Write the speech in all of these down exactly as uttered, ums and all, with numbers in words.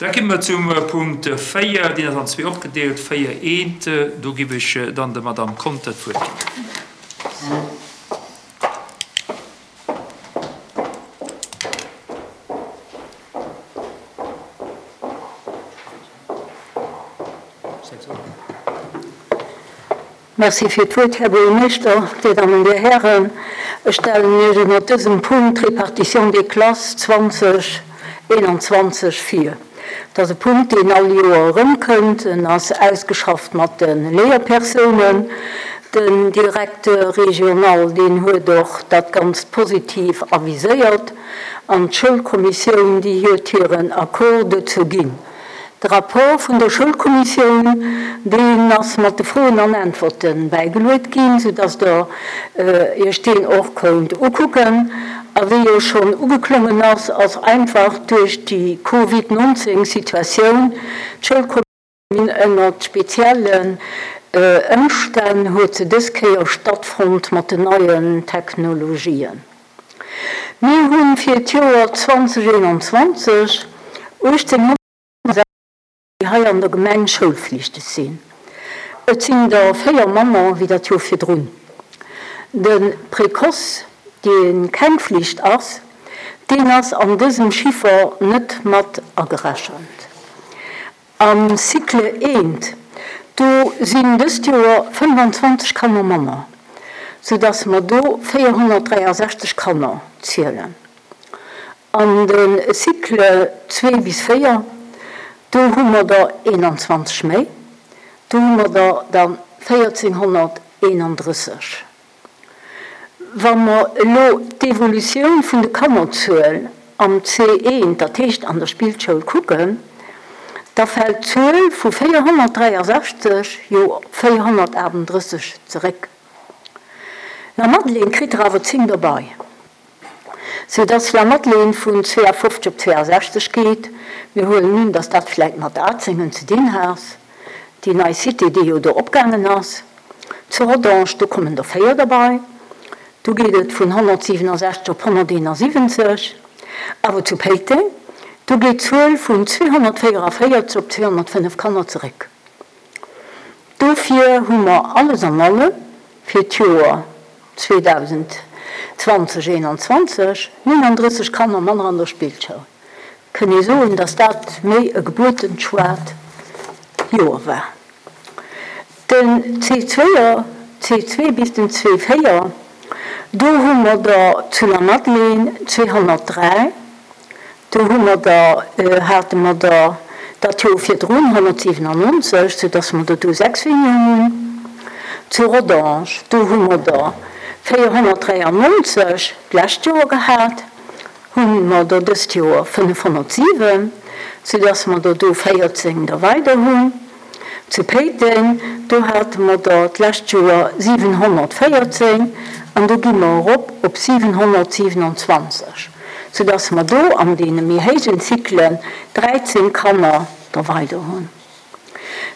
Da gi mer zum Punkt véier, deen ass an zwee opgedeelt, véier eent. Do giff ech dann der Madame Conter d'Wuert ginn. Merci fir d'Wuert, Här Buergermeeschter, Dir Dammen, Dir Hären. Ech stellen Iech ënnert dësem Punkt d'Répartition des classes zwanzeg eenanzwanzeg vir. Dat ass e Punkt, deen all Joer erëmkënnt. En ass ausgeschafft mat de Léierpersounen. Den Directeur régional, deen huet och dat Ganzt positiv aviséiert. An d'Schoulkommissioun, déi huet hiren Accord dozou ginn. De Rapport vun der Schoulkommissioun, deen ass mat de Froen an Äntwerte bäigeluet ginn, soudass Der Iech deen och kount ukucken. A wéi jo schonn ugeklongen ass, ass einfach duerch déi Covid neunzehn Situatioun d'Schoulkommissioun ënnert speziellen Ëmstänn huet se dës Kéier stattfonnt mat den neien Technologien. Mir hunn fir d'Joer zwanzeg eenanzwanzeg uechtzénghonnertsechs déi hei an der Gemeng schoulflichteg sinn. Et sinn der véier manner wéi dat Joer virdrun. De Précoce, dee keng Flicht ass, deen ass an dësem Chiffer net mat agerechent. Am Cycle eent, do sinn dëst Joer fënnefanzwanzeg Kanner manner, soudass mer do véierhonnertdräiasechzeg Kanner zielen. An de Cycle zwee bis véier, do hu mer der eenanzwanzeg méi, do hu mer der dann véierzehnhonnerteenunddrësseg. Wa mer elo d'Evolutioun vun de Kannerzuel am C eent, dat heescht an der Spillschoul, kucken, da fält d'Zuel vu véierhonnertdräiasechzeg jo op véierhonnertaachtunddrësseg zeréck. La Madeleine kritt der awer zéng dobäi, soudass La Madeleine vun zweeafofzeg op zweeasechzeg geet. Mir huelen un, dass dat vläicht mat Azengen ze dinn hat, déi nei Cité, déi jo do opgaangen ass. Zu Rodange, do kommen der véier dobäi. Do geet et vun honnertsiewenundsechzeg op honnerteenundsiwwenzeg. Awer zu Péiteng, do geet d'Zuel vun zweehonnertvéierundvéierzeg op zweehonnertfënnef Kanner zeréck. Dofir hu mer alles an allem fir d'Joer zweetausendzwanzeg eenanzwanzeg neununddrësseg Kanner manner an der Spillschoul. Kënnt ee soen, dass dat méi e gebuertenschwaart Joer war. Den C zwee, C zwei bis den C véier, do hu mer der zu La Madeleine zweehonnertdräi, do hu mer der, äh, hate mer der dat Joer virdrun honnertsiewenundneunzeg, sodass mer der do sechs weniger hunn. Zu Rodange, do hu mer der véierhonnertdräiundneunzeg d'lescht Joer gehat, hu mer der dëst Joer fënnefhonnertsiwen, sodass mer der do véierzéng der weider hunn. Zu Péiteng, do hate mer der d'lescht Joer siewenhonnertvéierzéng an do gi mer erop op siewenhonnertsiewenundzwanzeg, sodass mer do an deene méi héijen Zyklen dräizéng Kanner der weider hunn.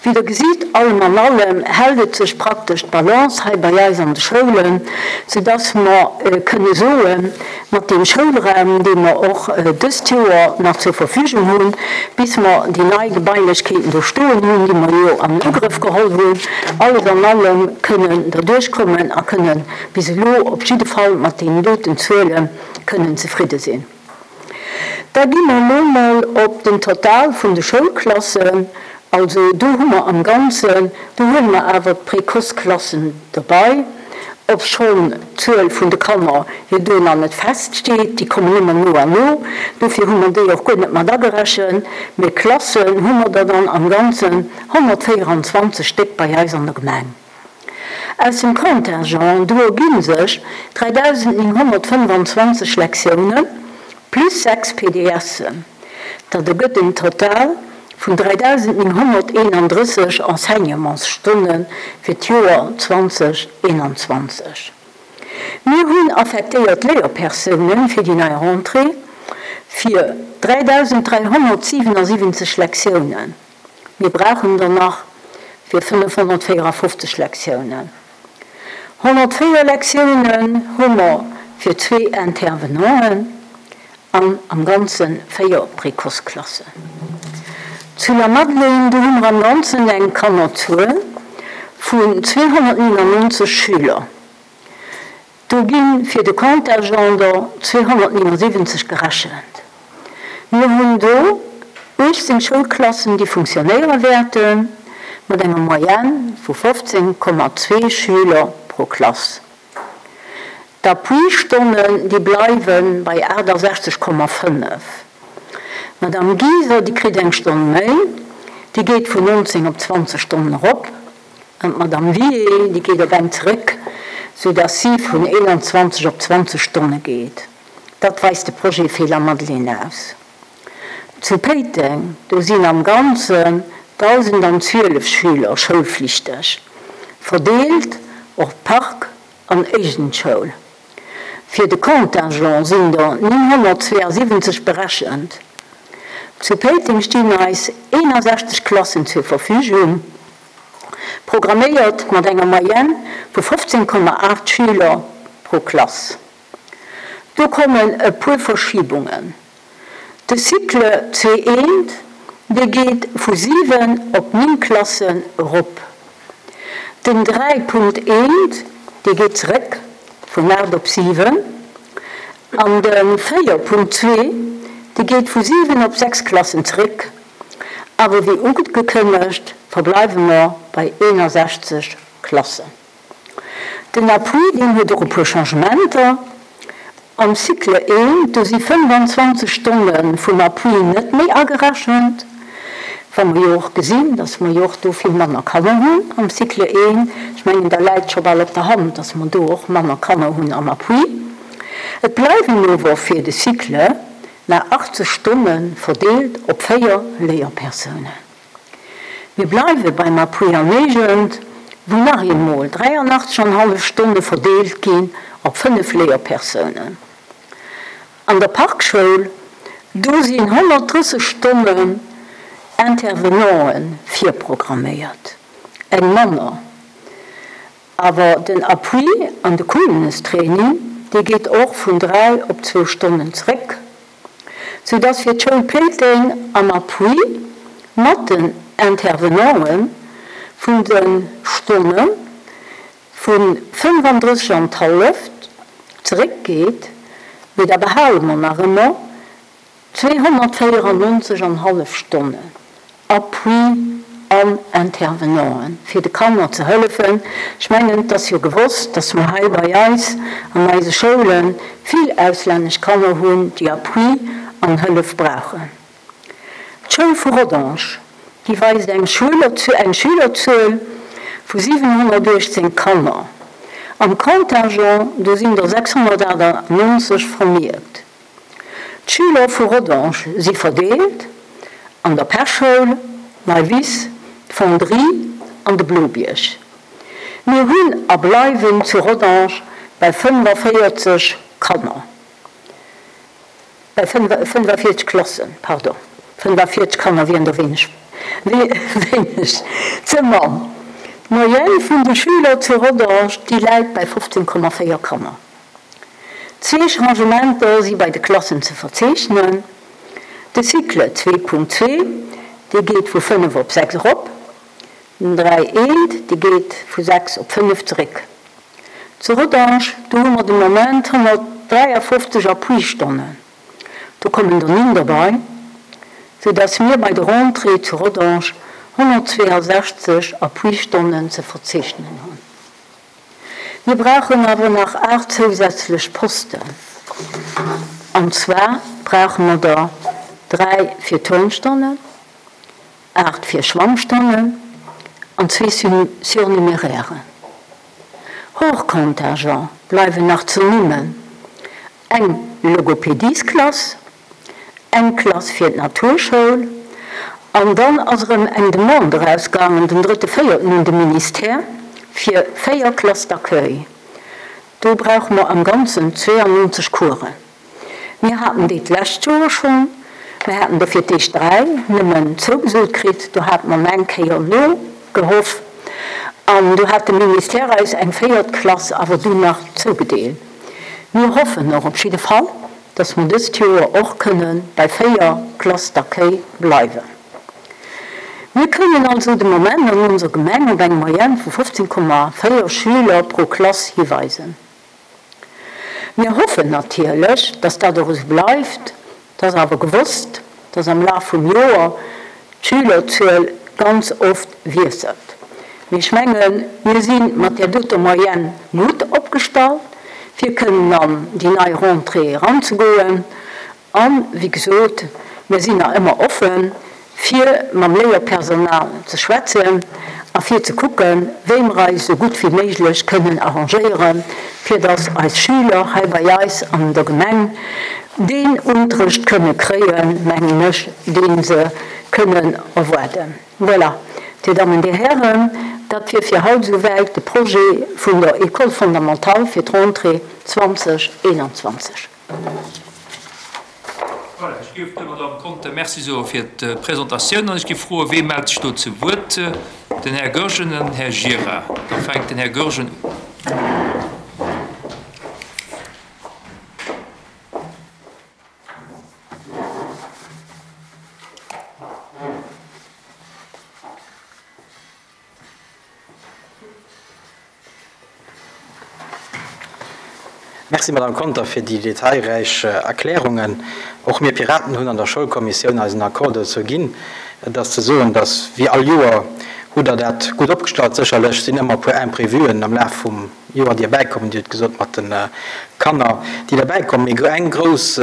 Wéi der gesitt, allem an allem hält et sech praktesch d'Balance hei bei eis an de Schoulen, sodass mer, äh, kënne soen, mat dem Schoulraum, dee mer och, äh, dëst Joer nach zur Verfügung hunn, bis mer déi nei Gebailechkeeten do stoen hunn, déi mer jo an Ugrëff geholl hunn, alles an allem kënnen da duerchkommen a kënnen bis elo op jidde Fall mat den doten Zuele kënnen zefridde sinn. Da gi mer elo mol op den Total vun de Schoulklassen. Also do hu mer am Ganzen, do huele mer awer d'Précoce-Klassen dobäi, obschonn d'Zuel vun de Kanner jo do nach net feststeet, déi kommen ëmmer no an no, dofir hu mer déi och guer net mat agerechent. Mee Klassen hu mer der dann am Ganzen honnertvéierundzwanzeg Stéck bei eis an der Gemeng. Aus dem Contingent do erginn sech dräidausendneunhonnertfënnefanzwanzeg Lektiounen plus sechs P D Sen. Dat ergëtt en Total vun dräidausendneunhonnerteenunddrësseg Enseignementsstonnen fir d'Joer zwanzeg eenanzwanzeg. Mir hunn affektéiert Léierpersounen fir déi nei Rentrée fir dräidausendräihonnertsiewenundsiwwenzeg Lektiounen. Mir brauchen der nach fir fënnefhonnertvéierundfünfzeg Lektiounen. Honnertvéier Lektiounen hu mer fir zwee Intervenanten an am Ganzen véier Précoce-Klassen. Zu Lamadelaine, do hu mer am Ganzen eng Kannerzuel vun zweehonnertnienundneunzeg Schüler. Do gi fir de Contingent der zweehonnertnienundsiwwenzeg gerechent. Mir hunn do uechtzéng Schoulklassen, déi funktionéiere wäerten, mat enger Moyenne vu fofzéng Komma zwee Schüler pro Klass. D'Appuistonnen, déi bleiwe bei aachtasechzeg Komma fënnef. D'Madame Giser, déi kritt eng Stonn méi, déi geet vun nonzéng op zwanzeg Stonnen erop. An d'Madame Wiehe, déi geet op eng zeréck, soudass si vun eenanzwanzeg op zwanzeg Stonne geet. Dat weist de Projet fir Lamadelaine aus. Zu Péiteng, do sinn am Ganzen dausendanzwielef Schüler schoulflichteg, verdeelt op Park an Éigendschoul. Fir de Contingent sinn der nénghonnertzweeasiwwenzeg berechent. Zu Péiteng stinn eis eenasechzeg Klassen zur Verfügung, programméiert mat enger Moyenne vu fofzéng Komma aacht Schüler pro Klass. Do kommen e puer Verschibungen. De Cycle zwee eent, dee geet vu siwen op néng Klassen erop. Den dräi Punkt eent, dee geet zeréck vun aacht op siwen. An de véier Punkt zwee, dee geet vu siwen op sechs Klassen zeréck. Awer wéi ugekënnegt, verbleiwe mer bei eenasechzeg Klassen. Den Appui, deen huet och e puer Changementer. Am Cycle eent, do si fënnefanzwanzeg Stonne vum Appui net méi agerechent, wa mer jo och gesinn, dass mer jo och do vill manner Kanner hunn am Cycle eent. Ech mengen, da läit scho bal op der Hand, dass mer do och manner Kanner hunn am Appui. Et bleiwen ower fir de Cycle nach achtzeg Stonne verdeelt op véier Léierpersounen. Mir bleiwe beim Appui an Éigent, wou nach eemol dräianachtzeg an hallef Stonne verdeelt ginn op fënnef Léierpersounen. An der Parkschoul, do sinn honnertdrësseg Stonnen Intervenanten virprogramméiert, eng manner. Awer den Appui an de Coolness-Training, dee geet och vun dräi op zwou Stonnen zeréck, soudass fir d'Schoul Péiteng am Appui mat den Intervenanten vun de Stonne vu fënnefandrësseg an d'halleft zeréckgeet, mee da behale mer nach ëmmer zweehonnertvéierannonzeg an hallef Stonnen Appui an Intervenanten, fir de Kanner ze hëllefen. Ech mengen, et ass jo gewosst, dass mer hei bei eis an eise Schoule vill auslännesch Kanner hunn, déi Appui an Hëllef brauchen. D'Schoul vu Rodange, déi weist eng Schülerzuel vu siwenhonnertuechtzéng Kanner. Am Contingent, do sinn der sechshonnertachtannonzeg vermierkt. D'Schüler vu Rodange si verdeelt an der Pechschoul, Neiwiss, d'Fonderie an de Blobierg. Mir hunn a bleiwen zu Rodange bei fënneféierzeg Kanner, bei fënneféierzeg Klassen, pardon, fënneféierzeg Kanner wieren der wéineg, wéineg ze mann. D'Moyenne vun de Schüler zu Rodange, déi läit bei fofzéng Komma véier Kanner. Zwee Changementer si bei de Klassen ze verzeechnen. De Cycle zwee Punkt zwee, dee geet vu fënnef op sechs erop. Den dräi eent, dee geet vu sechs op fënnef zeréck. Zu Rodange, do hu mer de Moment honnertdräiafofzeg Appuistonnen. Do kommen der néng derbei, soudass mir bei der Rentrée zu Rodange honnertzweeasechzeg Appuistonnen ze verzeechnen hunn. Mir brauchen awer nach aacht zousätzlech Posten. An zwar brauche mer der dräi fir Turnstonnen, aacht fir Schwammstonnen an zwee Surnumérären. Hors Contingent bleiwen nach ze nimmen eng Logopädiesklass, eng Klass fir d'Naturschoul, an dann ass erëm eng Demande erausgaangen den drëtte véierten un de Ministère fir véier Classes d'accueil. Do brauche mer am Ganzen zweeannonzeg Coursen. Mir haten déi d'lescht Joer schonn, mir haten der fir d'éischt dräi nëmmen zougesot kritt, do hate mer eng Kéier nogehoff an do hat de Ministère eis eng véiert Klass awer dunn nach zougedeelt. Mir hoffen och op jidde Fall, dass mer dëst Joer och kënne bei véier Classes d'accueil bleiwen. Mir kënnen also de Moment an onser Gemeng op eng Moyenne vu fofzéng Komma véier Schüler pro Klass hiweisen. Mir hoffen natierlech, dass dat och esou bleift. Et ass awer gewosst, dass am Laf vum Joer d'Schülerzuel ganz oft wiesselt. Mee ech mengen, mir si mat där doter Moyenne gutt opgestallt, fir kënnen an déi nei Rentrée eranzegoen. An, wéi gesot, mir sinn nach ëmmer offen, fir mam Léierpersonal ze schwätzen a fir ze kucken, wéi mer eis esou gutt wéi méiglech kënnen arrangéieren, fir dass eis Schüler hei bei eis an der Gemeng deen Unterrecht kënne kréien, mengen ech, dee se kënnen erwaarden. Voilà, Dir Dammen, Dir Hären, dat wier fir haut esouwäit de Projet vun der École fondamentale fir d'Rentrée zwanzeg eenanzwanzeg. Voilà, ech géif der Madame Conter Merci soe fir d'Presentatioun an ech géif froen, wee mellt sech do zu Wuert? Den Här Goergen an den Här Gira. Da fänkt den Här Goergen un. Merci, Madame Conter, fir déi detailräich Erklärungen. Och mir Piraten hunn an der Schoulkommissioun eisen Accord dozou ginn. Et ass ze soen, dass, wéi all Joer, hutt Der dat gutt opgestallt. Sécherlech sinn ëmmer e puer Imprévuen am Laf vum Joer, déi erbäikommen. Dir hutt gesot, mat de Kanner, déi derbäikommen. Mee eng grouss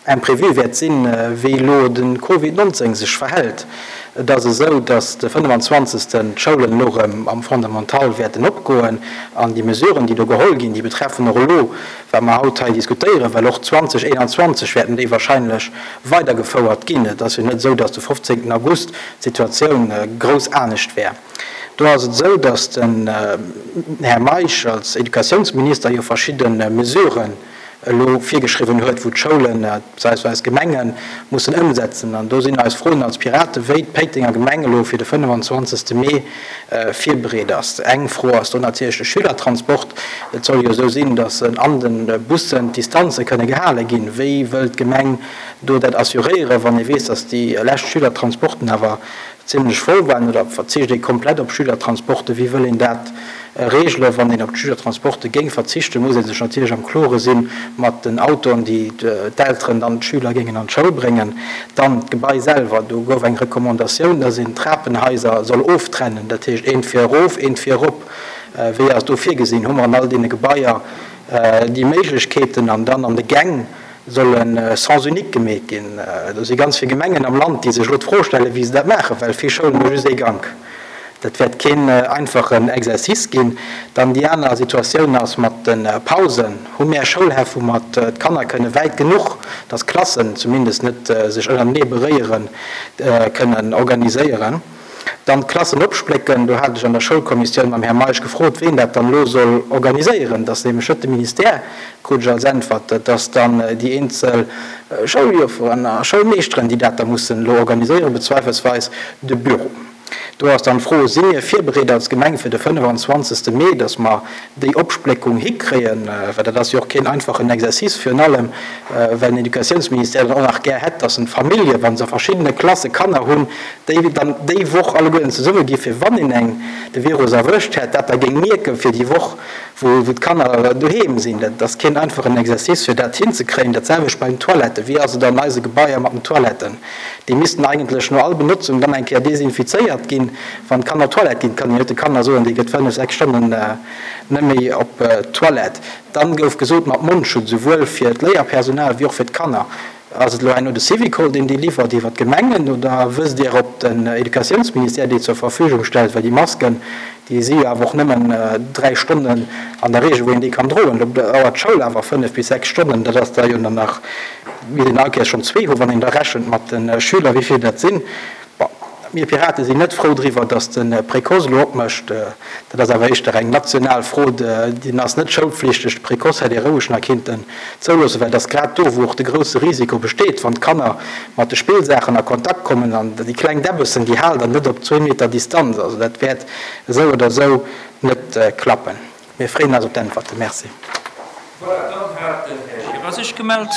Imprévu wäert sinn, wéi elo de Covid nonzéng sech verhält. Et ass esou, datt de fënnefenzwanzegsten d'Schoulen elo erëm am Fondamental wäerten opgoen an déi Mesuren, déi do geholl ginn, déi betreffen och elo, wat mer haut hei diskutéieren, well och zwanzeg eenanzwanzeg wäerten déi wahrscheinlech weidergefouert ginn. Et ass jo net esou, datt de fofzéngten August d'Situatioun grouss anescht wär. Do ass et esou, datt den Här Meisch als Educatiounsminister jo verschidde Mesuren elo virgeschriwwen huet, wou d'Schoulen, beziehungsweise d'Gemenge mussen ëmsetzen. An do sinn eis Froen als Piraten, wéi d'Péitenger Gemeng elo fir de fënnefenzwanzegste Mee virbereet ass. Eng Fro ass do natierlech de Schülertransport. Et soll jo esou sinn, datt an de Bussen d'Distanze kënne gehale ginn. Wéi wëll d'Gemeng do dat assuréieren, wann ee weess, datt déi lescht Schülertransporten awer zimmlech voll waren? Oder verzicht ee komplett op Schülertransporten? Wéi wëll een dat regelen? Wann een op d'Schülertransporte géing verzichten, muss ee sech natierlech am Klore sinn mat den Autoen, déi d'Elteren dann d'Schüler géingen an d'Schoul bréngen. Dann d'Gebai selwer, do gouf eng Recommandatioun, dass een d'Trapenhaiser soll oftrennen, dat heescht eent fir erof, eent fir erop. Wéi ass do virgesinn? Hu mer an all deene Gebaier déi Méiglechkeeten? An dann an de Gäng soll e Sens unique gemeet ginn. Do si ganz vill Gemengen am Land, déi sech elo d'Fro stellen, wéi se dat maachen, well vill Schoulen hu just ee Gank. Dat wäert keen einfachen Exercice ginn. Dann déi aner Situatioun ass mat de Pausen. Hu mir Schoulhäff, wou mer d'Kanner kënne wäit genuch, dass d'Klassen zumindest net sech ënnertenee beréieren, kënnen organiséieren. Dann d'Klassen opsplécken, do hat ech an der Schoulkommissioun mam Här Meisch gefrot, ween dat dann elo soll organiséieren. Dat ass nämlech net de Ministère, krut ech als Äntwert. Dat ass dann déi eenzel Schouljofferen a Schoulmeeschteren, déi dat da mussen elo organiséieren, bezweifelsweis de Büro. Do ass dann d'Fro, si mir virbereet als Gemeng fir de fënnefenzwanzegste Mee, dass mer déi Opspléckung hikréien, well dat ass jo och keen einfachen Exercice, virun allem well den Educatiounsministère dann och nach gär hätt, dass en d'Famillje, wa se a verschiddene Klasse Kanner hunn, déi dann déi Woch alleguerten zesumme gi fir wann een eng de Virus erwëscht hätt, dat da géing mierken fir déi Woch, wou d'Kanner doheem sinn. Dat ass keen einfachen Exercice, fir dat hinzekréien. Dat selwecht bei den Toiletten. Wéi ass et an eise Gebaier mat den Toiletten? Déi missten eigentlech no all Benotzung dann eng Kéier desinfizéiert ginn. Wann d'Kanner op d'Toilette ginn, kann een net de Kanner soen, déi gëtt fënnef, sechs Stonnen net méi op d'Toilette. Dann gouf gesot, mat Mondschutz, souwuel fir d'Léierpersonal wéi och fir d'Kanner. Ass et elo herno de Syvicol, deen déi liwwert iwwer d'Gemengen, oder wësst Dir, ob den Educatiounsministère déi zur Verfügung stellt? Well déi Masken, déi si jo awer och nëmmen dräi Stonnen an der Regel, wou een déi kann droen. Lo dauert d'Schoul awer fënnef bis sechs Stonnen. Dat ass da jo dann nach, misst een all Kéiers schonn zwee hunn, wann een da rechent mat de Schüler, wéi vill dat sinn. Bon, mir Pirate sinn net frou driwwer, datt de Précoce elo opmécht. Dat ass awer éischter eng national Fro. Deen ass net schoulpflichteg. De Précoce hätt ee roueg nach kinnten zouloossen, well et ass grad do, wou och de grousse Risiko besteet, wann d'Kanner mat de Spillsaachen a Kontakt kommen an déi kleng Däbbessen, déi halen dann net op zwee Meter Distanz. Also dat wäert esou oder esou net klappen. Mir freeën eis op d'Äntwerten. Merci. Voilà, dann hat den Här Gira sech gemellt.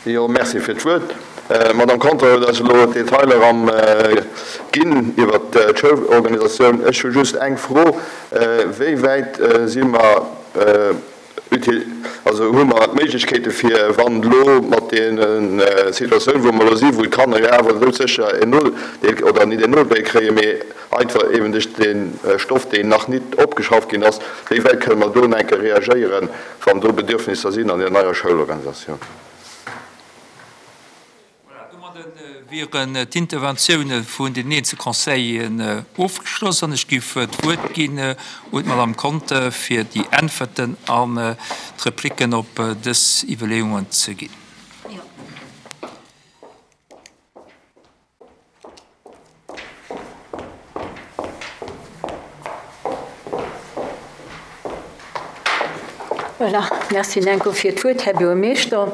Jo, merci fir d'Wuert. Madame Conter huet eis elo d'Detailer am ginn iwwer d'Schoulorganisatioun. Ech hu just eng Fro. Wéi wäit si mer utile, also hu mer d'Méiglechkeete fir, wann elo mat der Situatioun, wou mer elo sinn, wou d'Kanner jo awer doudsécher en Nodeel oder net en Nodeel kréien, mee einfach eben duerch de Stoff, deen nach net opgeschafft ginn ass, wéi wäit kënne mer do nach eng Kéier reagéieren, wann do Bedürfnisser sinn an der neier Schoulorganisatioun? Voilà, domadde wieren d'Interventioune vun den eenzel Conseilleren ofgeschloss an ech géif d'Wuert ginn un d'Madame Conter fir déi Äntwerten an d'Replicken op dës Iwwerleeungen ze ginn. Jo. Voilà, merci Nenko fir d'Wuert, Här Buergermeeschter.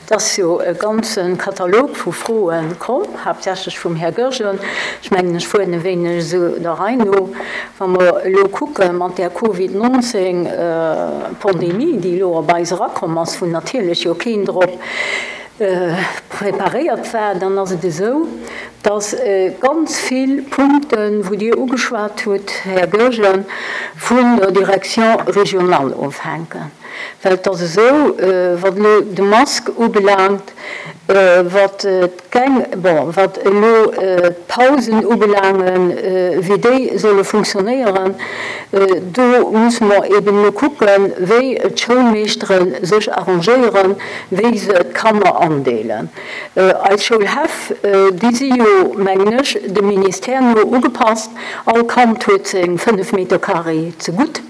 Et ass jo e ganze Katalog vu Froe komm, haaptsächlech vum Här Goergen. Ech mengen, ech fueren e wéineg esou der Rei no. Wa mer elo kucke mat där Covid neunzehn Pandemie, déi elo op eis erakomm ass, wou natierlech jo keen drop preparéiert war, dann ass et esou, dass ganz vill Punkten, wou Dir ugeschwat hutt, Här Goergen, vun der Direction régionale ofhänken. Well et ass esou, wat elo de Masque ubelaangt, wat d'Gäng, bon, wat elo d'Pausen ubelaangen, wéi déi solle funktionéieren, do musse mer eben elo kucken, wéi d'Schoulmeeschtere sech arrangéieren, wéi se d'Kanner andeelen. Eis Schoulhäff, déi si jo, mengen ech, dem Ministère no ugepasst. All Kand huet seng fënnef Meter carré zegutt,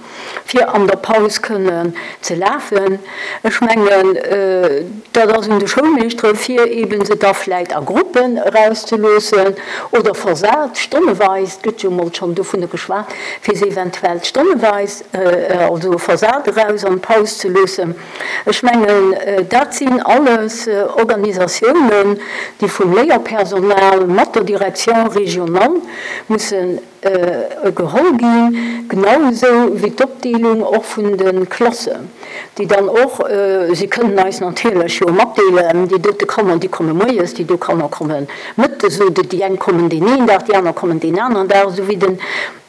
fir an der Paus kënnen ze lafen. Ech mengen, dat ass un de Schoulmeeschtere fir eben se da vläicht a Gruppen erauszeloossen oder versat, stonneweis, et gëtt jo mol schonn dovunner geschwat, fir se eventuell stonneweis, also versat eraus an d'Paus ze loossen. Ech mengen, dat sinn alles Organisatiounen, déi vum Léierpersonal mat der Direction régionale mussen geholl ginn, genau esou wéi d'Opdeelung och vun de Klassen, déi dann och, si kënnen eis natierlech jo matdeelen, déi dote Kanner, déi komme moies, déi do Kanner komme mëttes, oder déi eng kommen deen een Dag, déi aner kommen deen aneren Dag, esou wéi den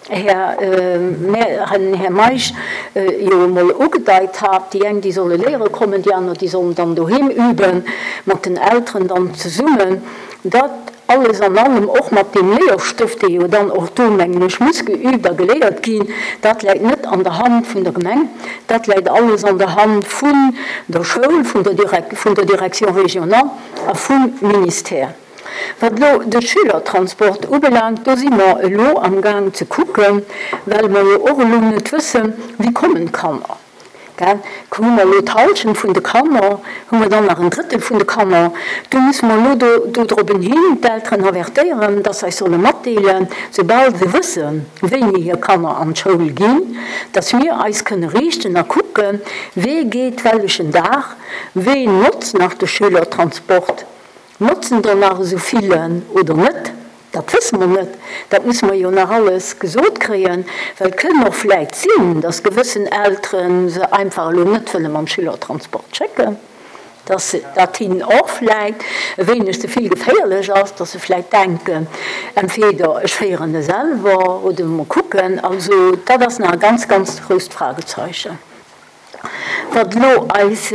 Här, Här Meisch jo emol ugedeit hat, déi eng, déi solle léiere kommen, déi aner, déi sollen dann doheem üben, mat den Elteren dann zesummen. Dat alles an allem, och mat deem Léierstëft, dee jo dann och do, mengen ech, muss geübt a geléiert ginn, dat läit net an der Hand vun der Gemeng, dat läit alles an der Hand vun der Schoul, vun der Direk-, vun der Direction régionale a vum Ministère. Wat elo de Schülertransport ubelaangt, do si mer elo am Gaang ze kucken, well mer jo och elo net wëssen, wéi kommen d'Kanner. Gell? Hu mer elo d'Hallschent vun de Kanner, hu mer dann nach en Drëttel vun de Kanner. Do musse mer elo do, do drop hin d'Elteren avertéieren, dass se eis solle matdeelen, soubal se wëssen, wéini hir Kanner an d'Schoul ginn, dass mir eis kënne riichten a kucken, wee geet wellechen Dag, wee notzt nach de Schülertransport, notzen der nach esou villen oder net. Dat wësse mer net, dat musse mer jo nach alles gesot kréien, well et kënn och vläicht sinn, dass gewëssen Elteren se einfach elo net wëlle mam Schülertransport schécken, dass dat hinnen och vläicht e wéineg ze vill geféierlech ass, dass se vläicht denken, entweder ech féieren e selwer oder mol kucken. Also dat ass nach e ganz, ganz grousst Fragezeichen. Wat elo eis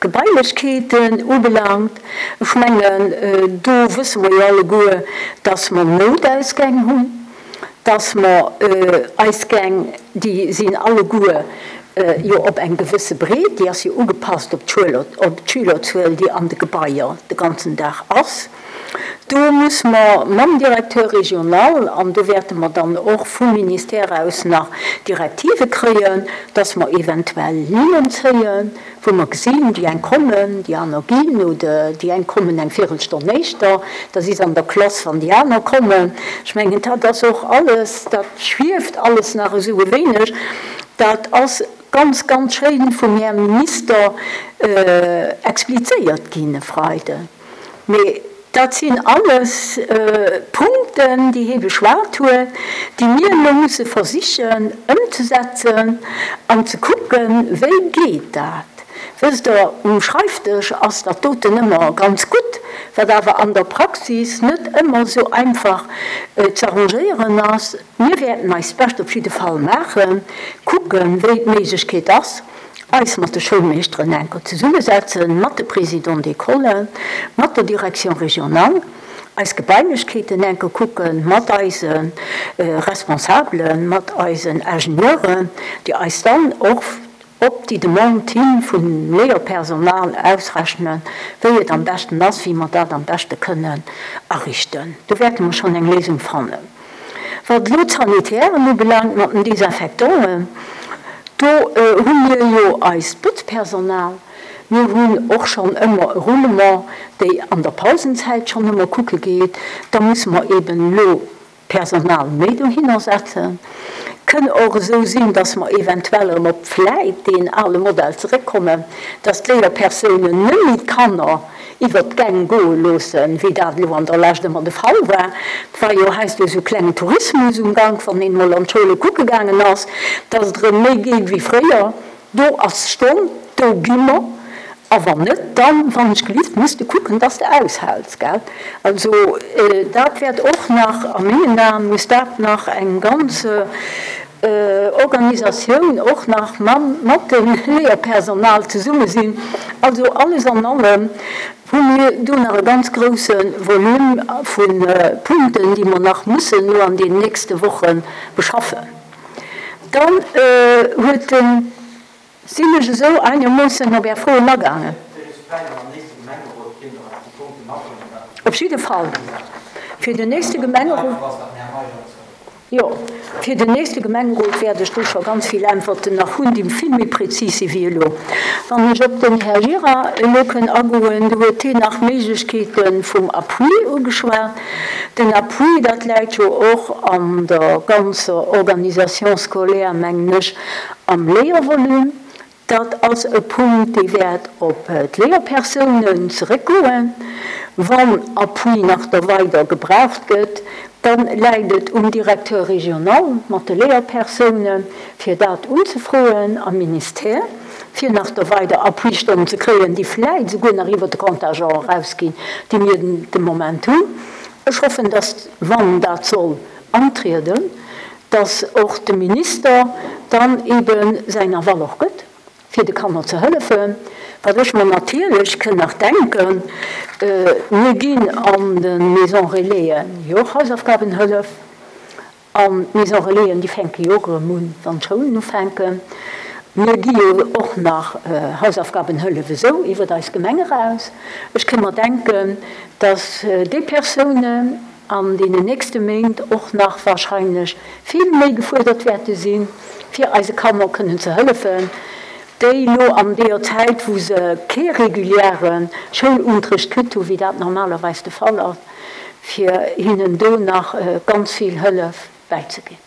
Gebailechkeeten ubelaangt, ech mengen, do wësse mer jo alleguer, dass mer Noutausgäng hunn, dass mer eis Gäng, déi sinn alleguer jo op eng gewësse Breet, déi ass jo ugepasst op d'Schülerzuel, déi an de Gebaier de ganzen Dag ass. Do muss mer mam Directeur régional, an do wäerte mer dann och vum Ministère aus nach Direktive kréien, dass mer eventuell Linnen zéien, wou mer gesinn, déi eng kommen, déi aner ginn, oder déi eng kommen eng Viertelstonn éischter, da si se an der Klass, wann déi aner kommen. Ech mengen, dat ass och alles, dat schwieft alles nach esou e wéineg. Dat ass ganz, ganz schéin vum Här Minister explizéiert ginn e Freiden. Mee dat sinn alles Punkten, déi hie beschwat huet, déi mir elo musse versichen ëmzesetzen an ze kucken, wéi geet dat. Wësst Der, um Schreifdësch ass dat doten ëmmer ganz gutt, wat awer an der Praxis net ëmmer esou einfach z'arrangéieren ass. Mir wäerten eist Bescht op jidde Fall maachen, kucken, wéi d'Méiglechkeet ass, eis mat de Schoulmeeschteren enker zesummesetzen, mat de Présidents d'école, mat der Direction régionale, eis Gebailechkeeten enker kucken, mat eise Responsabelen, mat eisen Ingenieuren, déi eis dann och op déi Demande hi vum Léierpersonal ausrechnen, wéi et am beschten ass, wéi mer dat am beschte kënnen ariichten. Do wäerte mer schonn eng Léisung fannen. Wat elo d'Sanitären ubelaangt mat den Desinfectanten, do hu mir jo eist Botzpersonal. Mir hunn och schonn ëmmer e Roulement, déi an der Pausenzäit schonn ëmmer kucke geet. Da musse mer eben elo Personal méi dohinner setzen. Kënn och esou sinn, dass mer eventuell erëm op vläit deen ale Modell zeréckkommen, dass d'Léierpersounen net méi d'Kanner iwwert d'Gäng goe loossen, wéi dat elo an der Lescht ëmmer de Fall war. Et war jo heiansdo esou klengen Tourismus um Gank, wann een emol an d'Schoule kucke gaangen ass, dass et erëm méi geet wéi fréier. Do ass d'Stonn, do gi mer. A wann net, dann, wann ech gelift, muss de kucken, dass de aushäls, gell? Also dat wäert och nach, a mengen Aen muss dat nach eng ganz Organisatioun och nach mam, mat dem Léierpersonal zesumme sinn. Also alles an allem hu mir do nach e ganz grouse Volume vu Punkten, déi mer nach mussen elo an den nächste Woche beschaffen. Dann huet den. Sinn ech esou einermoossen op Är Froen agaangen? Op jidde Fall fir den nächste Gemengerot. Jo, fir den nächste Gemengerot wäert ech do scho ganz vill Äntwerten nach hunn, déi vill méi prezis si wéi elo. Wann ech op den Här Gira elo kënn agoen, do huet hien nach d'Méiglechkeete vum Appui ugeschwat. Den Appui, dat läit jo och an der ganzer Organisation scolaire, mengen ech, am Léiervolume. Dat ass e Punkt, dee wäert op d'Léierpersounen zeréckgoen. Wann Appui nach da weider gebraucht gëtt, da läit et um Directeur régional mat de Léierpersounen, fir dat unzefroen am Ministère, fir nach da weider Appuistonnen ze kréien, déi vläicht souguer nach iwwert de Contingent erausginn, dee mir de Moment hunn. Ech hoffen, dass, wann dat soll antrieden, dass och de Minister dann eebe säin Aval och gëtt, fir de Kanner ze hëllefen. Wat ech mer natierlech kënn nach denken, Mir ginn an de Maisons Relaisen jo och Hausaufgabenhëllef. An d'Maisons Relaisen, déi fänke jo och erëm un, wann d'Schoulen ufänken. Mir gi jo och nach Hausaufgabenhëllef esou iwwert eis Gemeng eraus. Ech kënn mer denken, dass déi Persounen an deenen nächste Méint och nach wahrscheinlech vill méi gefuerdert wäerte sinn, fir eise Kanner kënnen ze hëllefen, déi elo an deeër Zäit, wou se kee reguläre Schoulunterricht kritt hunn, wéi dat normalerweis de Fall ass, fir hinnen do nach ganz vill Hëllef bäizeginn.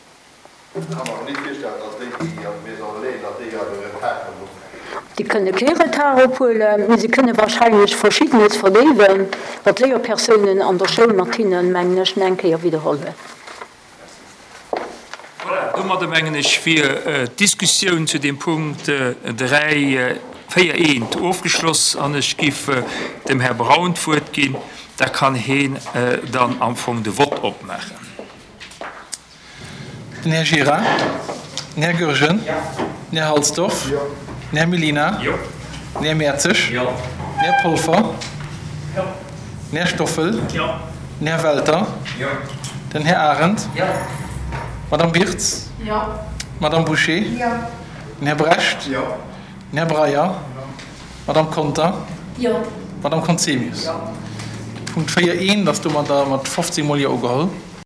Ech ka mer awer net virstellen, dass déi, déi an de Maisons Relais, datt déi awer e Retard kënnen ophuelen. Déi kënne kee Retard ophuelen, mee se kënne wahrscheinlech Verschiddenes verdéiwen, wat d'Léierpersounen an der Schoul mat hinnen, mengen ech, nach eng Kéier widderholl hunn. Voilà, domadder mengen ech wier d'Diskussioun zu deem Punkt dräi, véier eent ofgeschloss an ech giff dem Här Braun d'Wuert ginn, da kann heen dann am Fong de Vott opmaachen. Den Här Gira, den Här Goergen, den Här Halsdorf, den Här Mellina, den Här Mertzig, den Här Polfer, den Här Stoffel, den Här Welter, den Här Arendt, d'Madame Wirtz, d'Madame Bouché, den Här Brecht, den Här Breyer, d'Madame Conter, d'Madame Conzemius. De Punkt véier eent ass domadder mat fofzéng Mol Jo ugeholl.